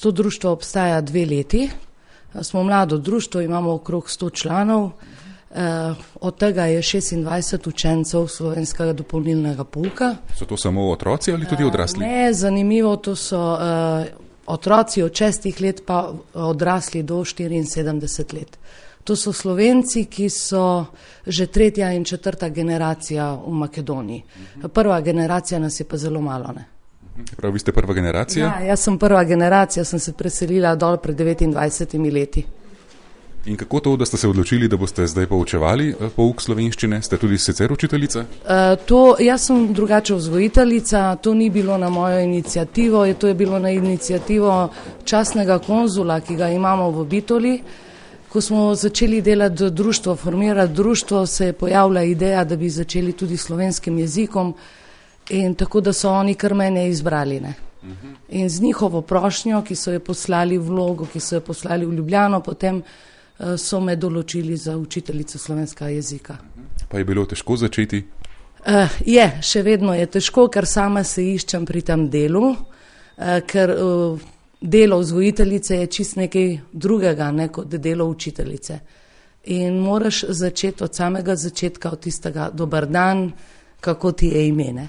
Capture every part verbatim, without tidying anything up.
To društvo obstaja dve leti. Smo mlado društvo, imamo okrog sto članov, eh, od tega je šestindvajset učencev slovenskega dopolnilnega pouka. So to samo otroci ali tudi odrasli? Eh, ne, zanimivo, to so eh, otroci od šestih let pa odrasli do štiriinsedemdeset let. To so Slovenci, ki so že tretja in četrta generacija v Makedoniji. Prva generacija nas je pa zelo malo, ne. Prav, vi ste prva generacija? Ja, jaz sem prva generacija, sem se preselila dol pred devetindvajsetimi leti. In kako to, da ste se odločili, da boste zdaj poučevali pouk slovenščine? Ste tudi sicer učiteljica? Uh, to, jaz sem drugače vzgojiteljica, to ni bilo na mojo inicijativo, to je bilo na inicijativo častnega konzula, ki ga imamo v Bitoli. Ko smo začeli delati društvo, formirati društvo, se je pojavila ideja, da bi začeli tudi slovenskim jezikom. In tako, da so oni kar mene izbrali, ne. In z njihovo prošnjo, ki so jo poslali vlogo, ki so jo poslali v Ljubljano, potem uh, so me določili za učiteljico slovenskega jezika. Pa je bilo težko začeti? Uh, je, še vedno je težko, ker sama se iščem pri tem delu, uh, ker uh, delo vzgojiteljice je čist nekaj drugega, ne, kot delo učiteljice. In moraš začeti od samega začetka, od tistega dober dan, kako ti je ime, ne.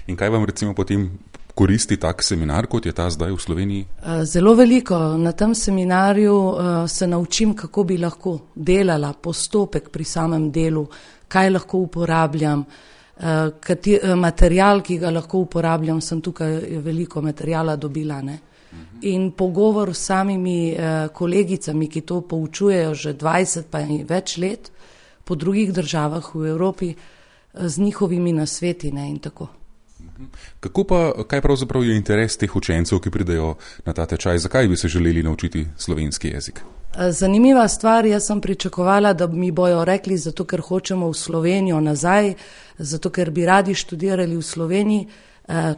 In kaj vam recimo potem koristi tak seminar, kot je ta zdaj v Sloveniji? Zelo veliko. Na tem seminarju se naučim, kako bi lahko delala, postopek pri samem delu, kaj lahko uporabljam, material, ki ga lahko uporabljam, sem tukaj veliko materijala dobila, ne. In pogovor s samimi kolegicami, ki to poučujejo že dvajset pa in več let po drugih državah v Evropi, z njihovimi nasveti, ne, in tako. Kako pa, kaj pravzaprav je interes teh učencev, ki pridejo na ta tečaj? Zakaj bi se želeli naučiti slovenski jezik? Zanimiva stvar, jaz sem pričakovala, da mi bojo rekli, zato ker hočemo v Slovenijo nazaj, zato ker bi radi študirali v Sloveniji,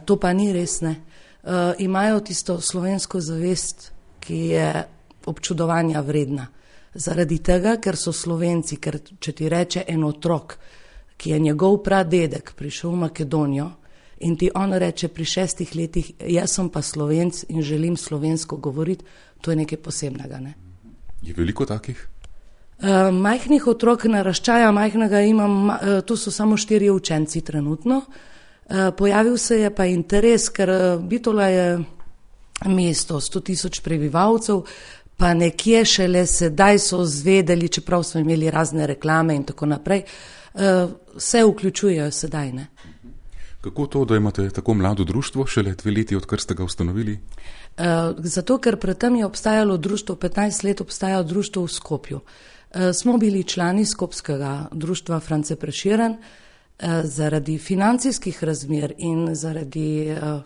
to pa ni res, ne. Imajo tisto slovensko zavest, ki je občudovanja vredna. Zaradi tega, ker so Slovenci, ker če ti reče en otrok, ki je njegov pradedek prišel v Makedonijo in ti on reče pri šestih letih, jaz sem pa Slovenc in želim slovensko govoriti, to je nekaj posebnega, ne. Je veliko takih? Uh, majhnih otrok naraščaja, majhnega imam, uh, tu so samo štirje učenci trenutno. Uh, pojavil se je pa interes, ker uh, Bitola je mesto sto tisoč prebivalcev, pa nekje šele sedaj so zvedeli, čeprav smo imeli razne reklame in tako naprej, vse vključujejo sedaj, ne. Kako to, da imate tako mlado društvo, šele dve leti, odkar ste ga ustanovili? Uh, zato, ker predtem je obstajalo društvo, petnajst let obstaja društvo v Skopju. Uh, smo bili člani skopskega društva France Prešeren, uh, zaradi financijskih razmer in zaradi uh,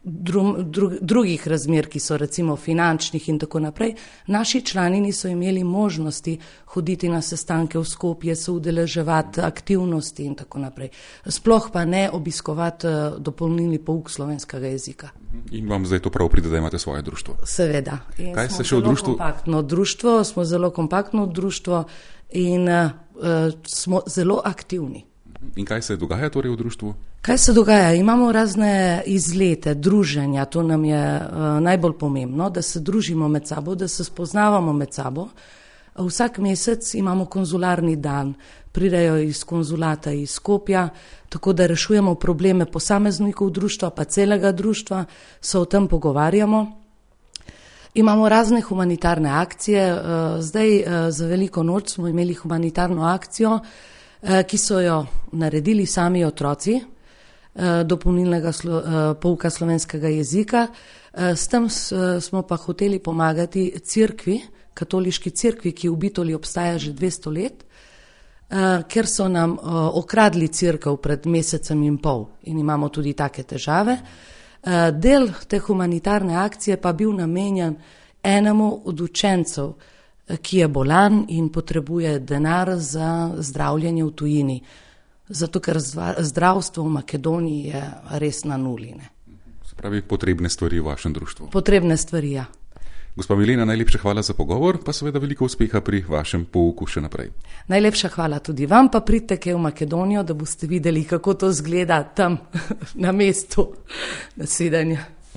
Dru, dru, drugih razmer, ki so recimo finančnih in tako naprej, naši člani niso imeli možnosti hoditi na sestanke v Skopje, se udeleževati aktivnosti in tako naprej. Sploh pa ne obiskovati uh, dopolnilni pouk slovenskega jezika. In vam zdaj to prav pride, da imate svoje društvo? Seveda. In kaj smo se še v društvu? Kompaktno društvo, smo zelo kompaktno društvo in uh, smo zelo aktivni. In kaj se dogaja torej v društvu? Kaj se dogaja? Imamo razne izlete, druženja, to nam je uh, najbolj pomembno, da se družimo med sabo, da se spoznavamo med sabo. Vsak mesec imamo konzularni dan, pridejo iz konzulata iz Skopja, tako da rešujemo probleme posameznikov društva, pa celega društva, se o tem pogovarjamo. Imamo razne humanitarne akcije, uh, zdaj uh, za veliko noč smo imeli humanitarno akcijo, ki so jo naredili sami otroci dopolnilnega slo, pouka slovenskega jezika. S tem smo pa hoteli pomagati cerkvi, katoliški cerkvi, ki v Bitoli obstaja že dvesto let, ker so nam okradli cerkev pred mesecem in pol in imamo tudi take težave. Del te humanitarne akcije pa bil namenjen enemu od učencev, ki je bolan in potrebuje denar za zdravljenje v tujini. Zato, ker zdravstvo v Makedoniji je res na nuli, ne. Se pravi, potrebne stvari v vašem društvu. Potrebne stvari, ja. Gospa Milena, najlepša hvala za pogovor, pa seveda veliko uspeha pri vašem pouku še naprej. Najlepša hvala tudi vam, pa pridite kaj v Makedonijo, da boste videli, kako to zgleda tam na mestu. Nasvidenja.